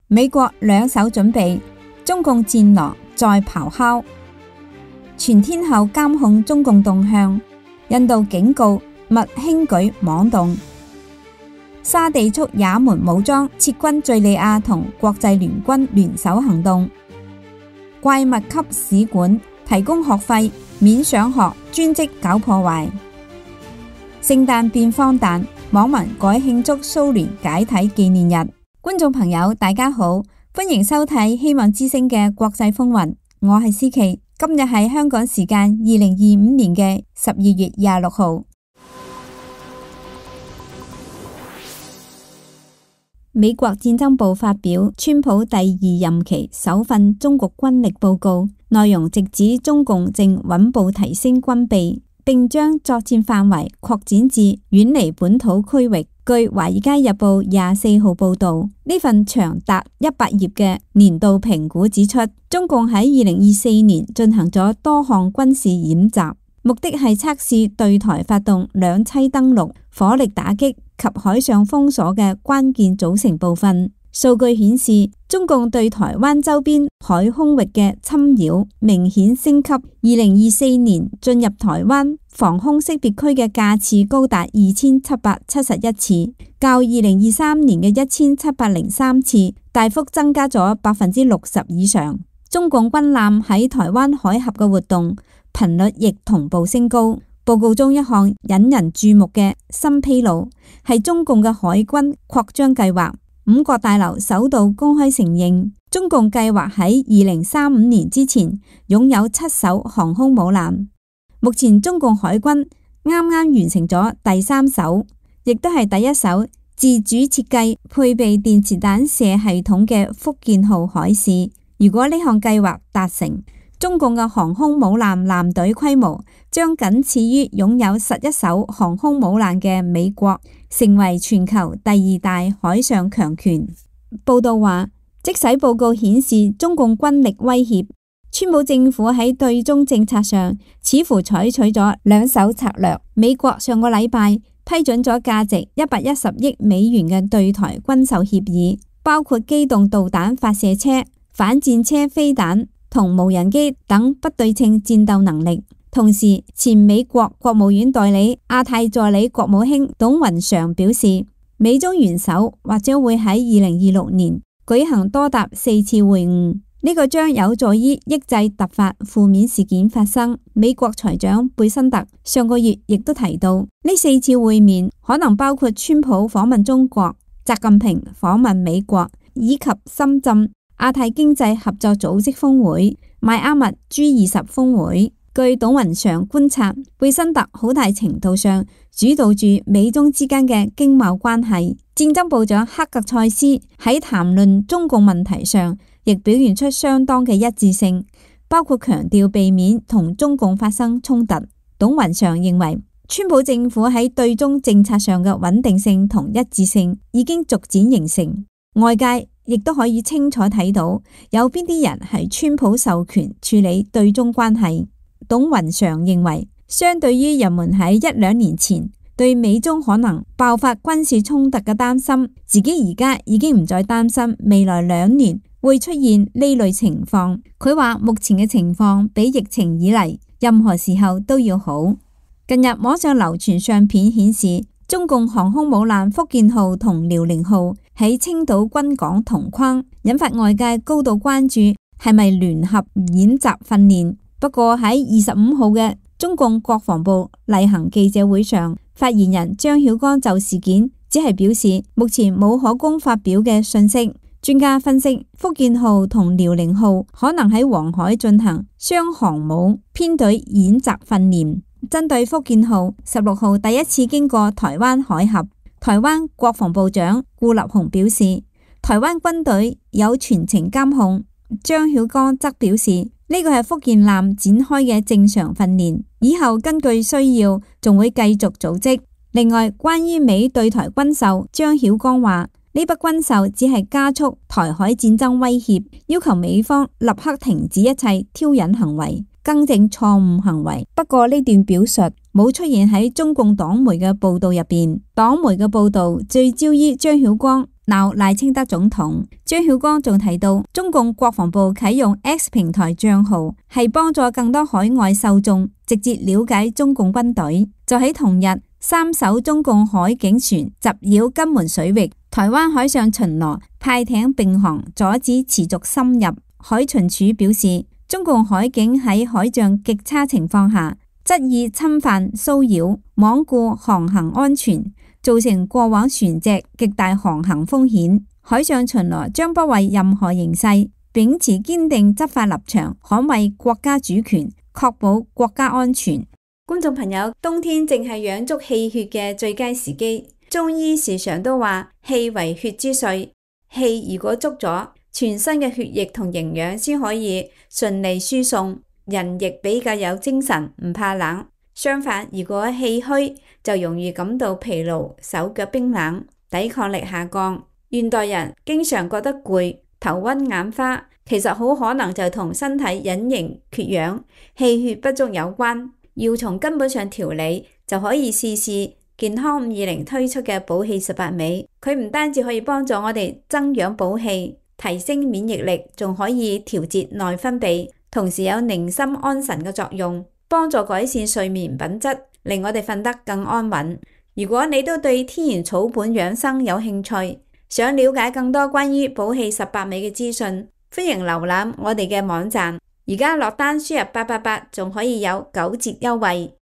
美國兩手準備，中共戰狼再咆哮，全天候監控中共動向。印度警告勿輕舉妄動。沙地促也門武裝撤軍敘利亞同國際聯軍聯手行動。怪物級使館提供學費免上學，專職搞破壞。聖誕變荒誕，網民改慶祝蘇聯解體紀念日。觀眾朋友大家好，歡迎收睇希望之聲嘅國際風雲，我係思琪。今日係香港時間2025年嘅12月26號。美國戰爭部發表川普第二任期首份中國軍力報告，內容直指中共正穩步提升軍備，並將作戰範圍擴展至遠離本土區域。據《華爾街日報》24號報道，呢份長達100頁嘅年度評估指出，中共喺2024年進行咗多項軍事演習，目的係測試對台發動兩棲登陸、火力打擊及海上封鎖嘅關鍵組成部分。數據顯示，中共對台灣周邊海空域嘅侵擾明顯升級。2024年進入台灣防空識別區嘅架次高達2771次，較2023年嘅1703次大幅增加咗60%以上。中共軍艦喺台灣海峽嘅活動頻率亦同步升高。報告中一項引人注目嘅新披露係中共嘅海軍擴張計劃。五角大樓首度公開承認，中共計劃喺2035年之前擁有7艘航空母艦。目前中共海軍啱啱完成咗第3艘，亦都係第一艘自主設計配備電磁彈射系統嘅福建號海事。如果呢項計劃達成，中共嘅航空母艦艦隊規模將僅次於擁有11艘航空母艦嘅美國，成為全球第2大海上強權。報道話，即使報告顯示中共軍力威脅，川普政府喺對中政策上似乎採取咗兩手策略。美國上個禮拜批准咗價值110億美元嘅對台軍售協議，包括機動導彈發射車、反戰車飛彈同無人機等不對稱戰鬥能力。同時，前美國國務院代理亞太助理國務卿董雲常表示，美中元首或者會喺2026年舉行多達4次會晤，呢個將有助於抑制突發負面事件發生。美國財長貝辛特上個月亦都提到，呢4次會面可能包括川普訪問中國、習近平訪問美國，以及深圳亞太經濟合作組織峰會、邁阿密 G20 峰會。據董雲常觀察，貝辛特好大程度上主導住美中之間嘅經貿關係。戰爭部長克格塞斯喺談論中共問題上，亦表現出相當嘅一致性，包括強調避免同中共發生衝突。董雲常認為，川普政府喺對中政策上嘅穩定性同一致性已經逐漸形成，外界亦都可以清楚睇到有邊啲人係川普授權處理對中關係。董雲常認為，相對於人們喺1-2年前對美中可能爆發軍事衝突嘅擔心，自己而家已經唔再擔心未來2年會出現呢類情況。佢話目前嘅情況比疫情以嚟任何時候都要好。近日網上流傳相片顯示，中共航空母艦福建號同遼寧號喺青島軍港同框，引發外界高度關注係咪聯合演習訓練。不過喺25號嘅中共國防部例行記者會上，發言人張曉光就事件只係表示目前冇可供發表嘅信息。專家分析，福建號同遼寧號可能喺黃海進行雙航母編隊演習訓練。針對福建號16號第一次經過台灣海峽，台灣國防部長顧立雄表示，台灣軍隊有全程監控。張曉光則表示，呢個係福建艦展開嘅正常訓練，以後根據需要仲會繼續組織。另外，關於美對台軍售，張曉光話呢筆軍售只係加速台海戰爭威脅，要求美方立刻停止一切挑釁行為，更正錯誤行為。不過呢段表述冇出現喺中共黨媒嘅報道入邊，黨媒嘅報道聚焦於張曉光鬧賴清德總統。張曉光仲提到，中共國防部啟用 X 平台賬號係幫助更多海外受眾直接了解中共軍隊。就喺同日，3艘中共海警船襲擾金門水域，台灣海上巡邏派艇並航，阻止持續深入。海巡署表示，中共海警喺海象極差情況下，執意侵犯、騷擾、罔顧航行安全，造成過往船隻極大航行風險。海上巡邏將不為任何形勢，秉持堅定執法立場，捍衛國家主權，確保國家安全。觀眾朋友，冬天正係養足氣血嘅最佳時機。中醫時常都話氣為血之髓，氣如果足咗，全身嘅血液同營養先可以順利輸送，人亦比較有精神，唔怕冷。相反，如果氣虛，就容易感到疲勞，手腳冰冷，抵抗力下降。現代人經常覺得攰、頭暈眼花，其實好可能就同身體隱形缺氧、氣血不足有關。要從根本上調理，就可以試試健康520推出嘅補氣18味。佢唔單止可以幫助我哋增氧補氣，提升免疫力，仲可以調節內分泌，同時有寧心安神嘅作用，幫助改善睡眠品質，令我哋瞓得更安穩。如果你都對天然草本養生有興趣，想了解更多關於補氣18味嘅資訊，歡迎瀏覽我哋嘅網站。而家落單輸入888，仲可以有9折優惠。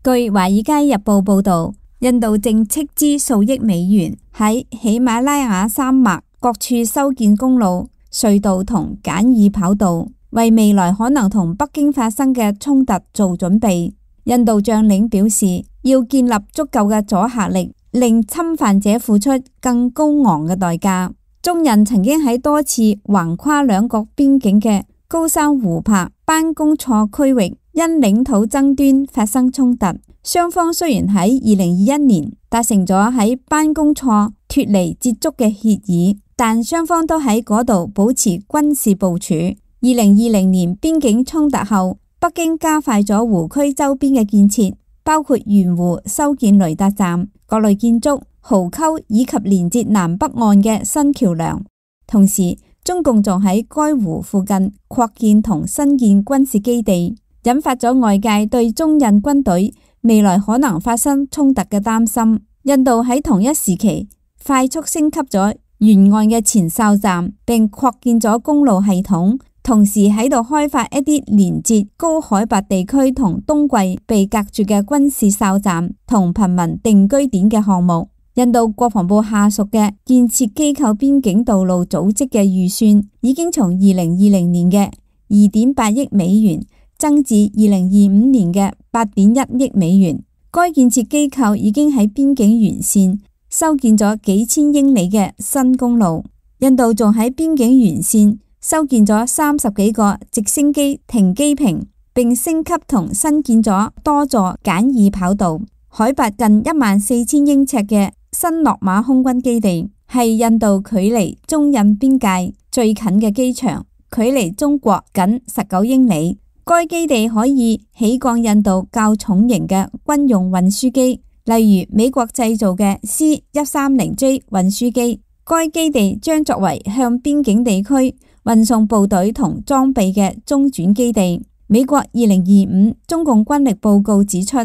據《華爾街日報》報導，印度正斥資數億美元喺喜馬拉雅山脈各處修建公路、隧道同簡易跑道，為未來可能同北京發生嘅衝突做準備。印度將領表示，要建立足夠嘅阻嚇力，令侵犯者付出更高昂嘅代價。中印曾經喺多次橫跨兩國邊境嘅高山湖泊、班公錯區域因領土爭端發生衝突。雙方雖然喺2021年達成咗喺班公錯脫離接觸嘅協議，但雙方都喺嗰度保持軍事部署。2020年邊境衝突後，北京加快咗湖區周邊嘅建設，包括沿湖修建雷達站、各類建築、壕溝以及連接南北岸嘅新橋梁。同時，中共仲喺該湖附近擴建同新建軍事基地，引發咗外界對中印軍隊未來可能發生衝突嘅擔心。印度喺同一時期快速升級咗沿岸嘅前哨站，並擴建咗公路系統，同時喺度開發一啲連接高海拔地區同冬季被隔絕嘅軍事哨站同貧民定居點嘅項目。印度國防部下屬嘅建設機構邊境道路組織嘅預算已經從2020年嘅2.8億美元增至2025年嘅8.1億美元。該建設機構已經喺邊境沿線修建咗幾千英里嘅新公路。印度仲喺邊境沿線修建咗30幾個直升機停機坪，並升級同新建咗多座簡易跑道。海拔近14000英尺嘅新洛馬空軍基地係印度距離中印邊界最近嘅機場，距離中國僅19英里。該基地可以起降印度較重型嘅軍用運輸機，例如美國製造嘅 C-130J 運輸機。該基地將作為向邊境地區運送部隊同裝備嘅中轉基地。美國2025中共軍力報告指出，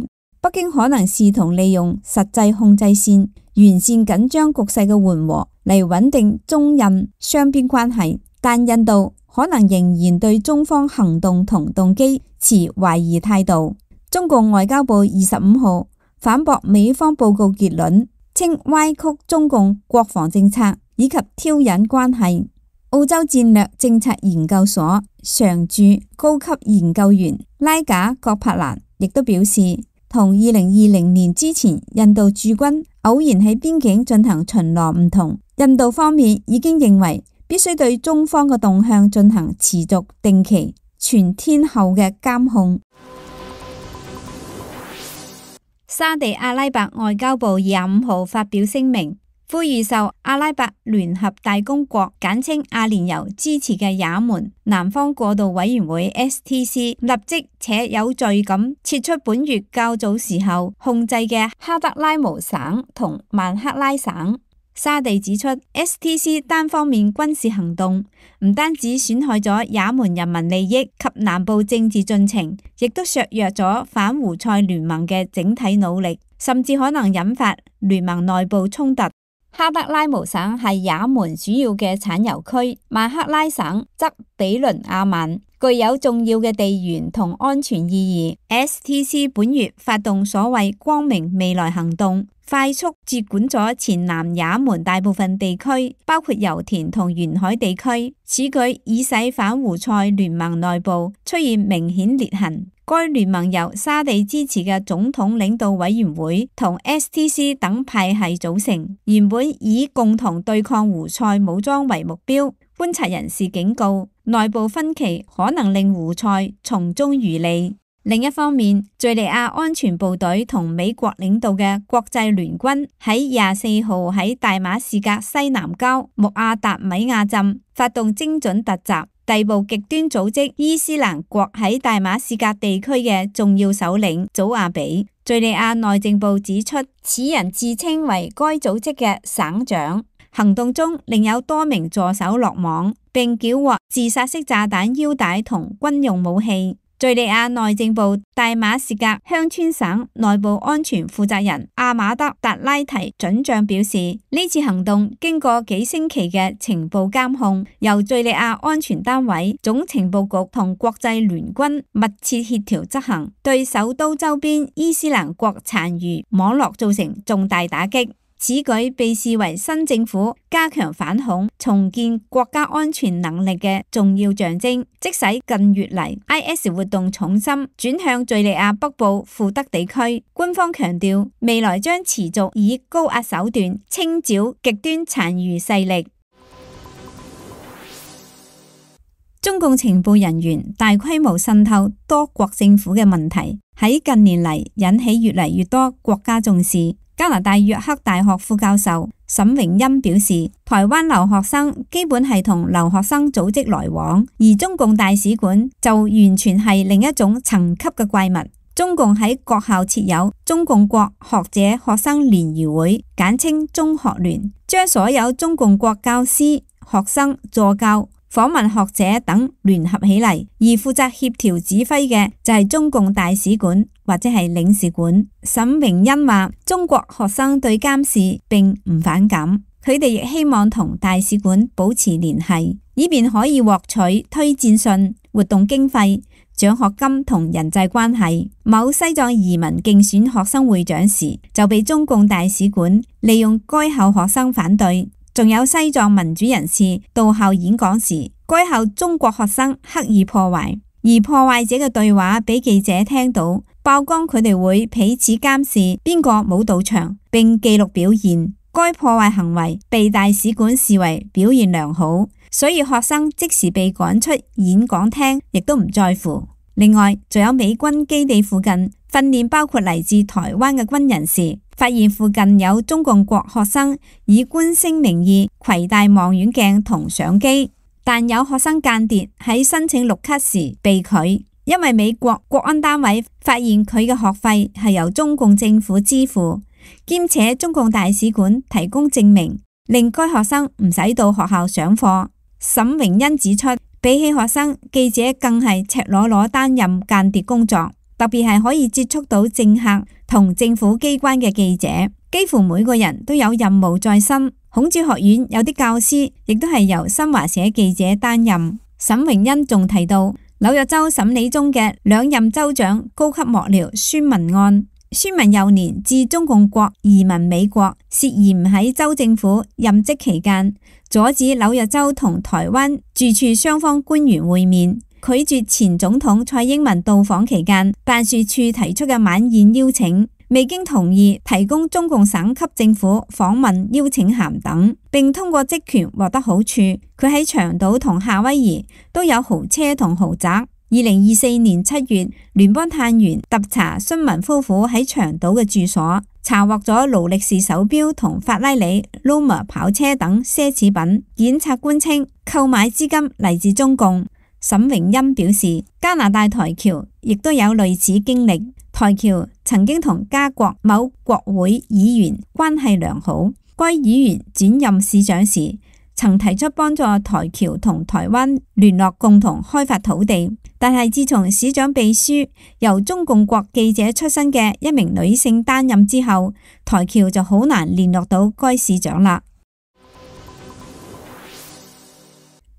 北京可能試圖利用實際控制線完善緊張局勢嘅緩和嚟穩定中印雙邊關係，但印度可能仍然對中方行動同動機持懷疑態度。中共外交部25號反駁美方報告結論，稱歪曲中共國防政策以及挑釁關係。澳洲戰略政策研究所常駐高級研究員拉賈葛柏蘭亦都表示，同2020年之前印度駐軍偶然喺邊境進行巡邏唔同，印度方面已經認為必須對中方嘅動向進行持續、定期、全天候嘅監控。沙地阿拉伯外交部25號發表聲明，呼籲受阿拉伯聯合大公國簡稱阿聯酋支持嘅也門南方過渡委員會 STC 立即且有序咁撤出本月較早時候控制嘅哈德拉姆省同曼克拉省。沙地指出 STC 單方面軍事行動唔單止損害咗也門人民利益及南部政治進程，亦都削弱咗反胡塞聯盟嘅整體努力，甚至可能引發聯盟內部衝突。哈德拉姆省係也門主要嘅產油區，曼克拉省則比鄰阿曼，具有重要嘅地緣同安全意義。STC 本月發動所謂光明未來行動，快速接管咗前南也門大部分地區，包括油田同沿海地區。此舉已使反胡塞聯盟內部出現明顯裂痕。該聯盟由沙地支持嘅總統領導委員會同 STC 等派系組成，原本以共同對抗胡塞武裝為目標。觀察人士警告，內部分歧可能令胡塞從中漁利。另一方面，敘利亞安全部隊同美國領導嘅國際聯軍喺24號喺大馬士革西南郊穆阿達米亞鎮發動精準突襲，逮捕極端組織伊斯蘭國喺大馬士革地區嘅重要首領祖亞比。敘利亞內政部指出，此人自稱為該組織嘅省長。行動中另有多名助手落網，並繳獲自殺式炸彈腰帶同軍用武器。敘利亞內政部大馬士革鄉村省內部安全負責人阿馬德達拉提准將表示，呢次行動經過幾星期嘅情報監控，由敘利亞安全單位、總情報局同國際聯軍密切協調執行，對首都周邊伊斯蘭國殘餘網絡造成重大打擊。此舉被視為新政府加強反恐、重建國家安全能力嘅重要象徵，即使近月嚟 IS 活動重心轉向敘利亞北部庫德地區。官方強調，未來將持續以高壓手段清剿極端殘餘勢力。中共情報人員大規模滲透多國政府嘅問題，喺近年嚟引起越嚟越多國家重視。加拿大約克大學副教授沈榮欽表示，台灣留學生基本係同留學生組織來往，而中共大使館就完全係另一種層級嘅怪物。中共喺各校設有中共國學者學生聯誼會，簡稱中學聯，將所有中共國教師、學生、助教、訪問學者等聯合起嚟，而負責協調指揮嘅就係中共大使館或者係領事館。沈榮欽話，中國學生對監視並唔反感，佢哋亦希望同大使館保持聯繫，以便可以獲取推薦信、活動經費、獎學金同人際關係。某西藏移民競選學生會長時，就被中共大使館利用該校學生反對。仲有西藏民主人士到校演講時，該校中國學生刻意破壞，而破壞者嘅對話俾記者聽到，曝光佢哋會彼此監視邊個冇到場，並記錄表現。該破壞行為被大使館視為表現良好，所以學生即時被趕出演講廳，亦都唔在乎。另外，仲有美軍基地附近訓練包括嚟自台灣嘅軍人時，發現附近有中共國學生以觀星名義攜帶望遠鏡同相機，但有學生間諜喺申請綠卡時被拒，因為美國國安單位發現佢嘅學費係由中共政府支付，兼且中共大使館提供證明，令該學生唔使到學校上課。沈榮欽指出，比起學生，記者更係赤裸裸擔任間諜工作，特別係可以接觸到政客同政府機關嘅記者，幾乎每個人都有任務在身。孔子學院有啲教師亦都係由新華社記者擔任。沈榮欽仲提到，紐約州審理中嘅兩任州長高級幕僚孫文案，孫文幼年至中共國移民美國，涉嫌喺州政府任職期間阻止紐約州同台灣駐處雙方官員會面，拒絕前總統蔡英文到訪期間辦事處提出嘅晚宴邀請，未經同意提供中共省級政府訪問邀請函等，並通過職權獲得好處。佢喺長島同夏威夷都有豪車同豪宅。2024年7月，聯邦探員特查孫文夫婦喺長島嘅住所，查獲咗勞力士手錶同法拉利、Lomer 跑車等奢侈品。檢察官稱購買資金嚟自中共。沈榮欽表示，加拿大台僑亦都有類似經歷。台僑曾經同加國某國會議員關係良好，該議員轉任市長時，曾提出幫助台僑同台灣聯絡，共同開發土地。但係自從市長秘書由中共國記者出身嘅一名女性擔任之後，台僑就好難聯絡到該市長啦。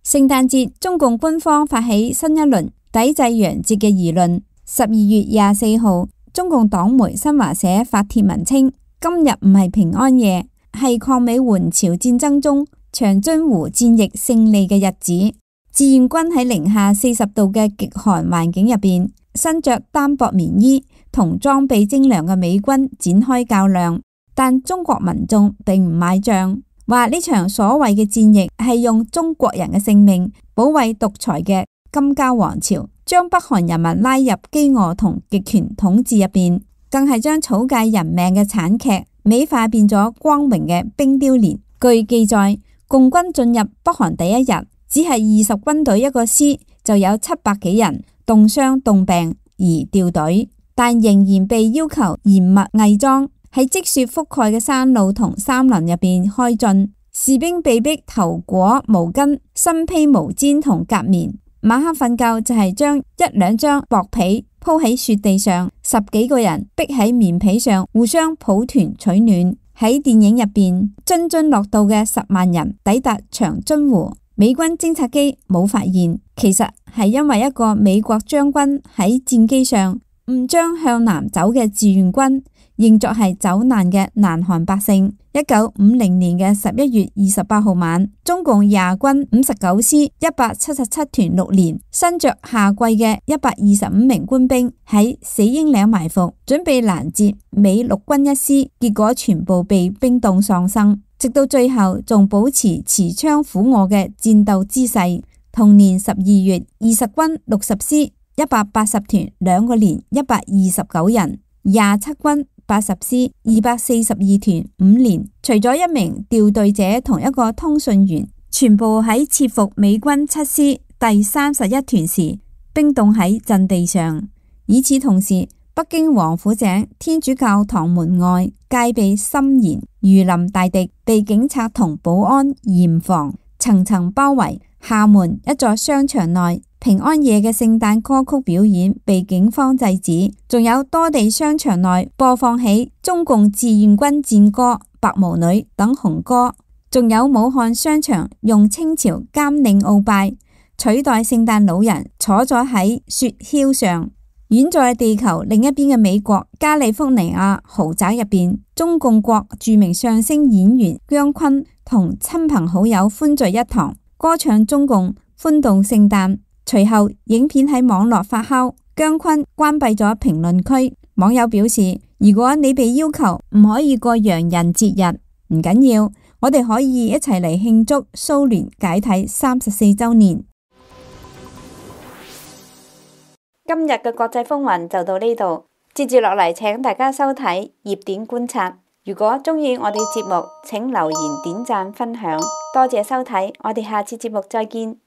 聖誕節，中共官方發起新一輪抵制洋節嘅輿論。12月24號，中共黨媒新華社發帖文稱，今日唔係平安夜，係抗美援朝戰爭中長津湖戰役勝利嘅日子。志願軍喺零下40度嘅極寒環境入邊，身着單薄棉衣同裝備精良嘅美軍展開較量，但中國民眾並唔買賬，話呢場所謂嘅戰役係用中國人嘅性命保衛獨裁嘅金家王朝，將北韓人民拉入飢餓同極權統治入邊，更係將草芥人命嘅慘劇美化變咗光榮嘅冰雕連。據記載，共軍進入北韓第一日，只係20軍隊一個師就有700幾人凍傷凍病而掉隊，但仍然被要求嚴密偽裝，喺積雪覆蓋嘅山路同山林入邊開進。士兵被逼頭裹毛巾、身披毛氈同夾棉，晚黑瞓覺就係將1-2張薄被鋪喺雪地上，10幾個人逼喺棉被上互相抱團取暖。喺電影入邊，津津樂道嘅10萬人抵達長津湖，美軍偵察機冇發現，其實係因為一個美國將軍喺戰機上誤將向南走嘅志願軍認作係走難嘅南韓百姓。1950年嘅11月28號晚，中共廿軍59師177團6連，身着夏季嘅125名官兵喺死鷹嶺埋伏，準備攔截美陸軍一師，結果全部被冰凍喪生，直到最後仲保持持槍俯臥嘅戰鬥姿勢。同年12月，20軍60師180團2個連129人，27軍80師242團5連，除咗一名調隊者同一個通訊員，全部喺切伏美軍7師第31團時冰凍喺陣地上。與此同時，北京王府井天主教堂門外戒備森嚴，如臨大敵，被警察同保安嚴防層層包圍。廈門一座商場內，平安夜嘅聖誕歌曲表演被警方制止，仲有多地商場內播放起中共志願軍戰歌、白毛女等紅歌，仲有武漢商場用清朝監領鰲拜取代聖誕老人坐咗喺雪橇上。遠在地球另一邊嘅美國加利福尼亞豪宅入邊，中共國著名相聲演員姜昆同親朋好友歡聚一堂，歌唱中共歡度聖誕。隨後影片喺網絡發酵，姜昆關閉咗評論區。網友表示，如果你被要求唔可以過洋人節日，唔緊要，我哋可以一齊嚟慶祝蘇聯解體34週年。今日嘅國際風雲就到呢度，接住落嚟請大家收睇熱點觀察。如果鍾意我哋節目，請留言、點讚、分享，多謝收睇，我哋下次節目再見。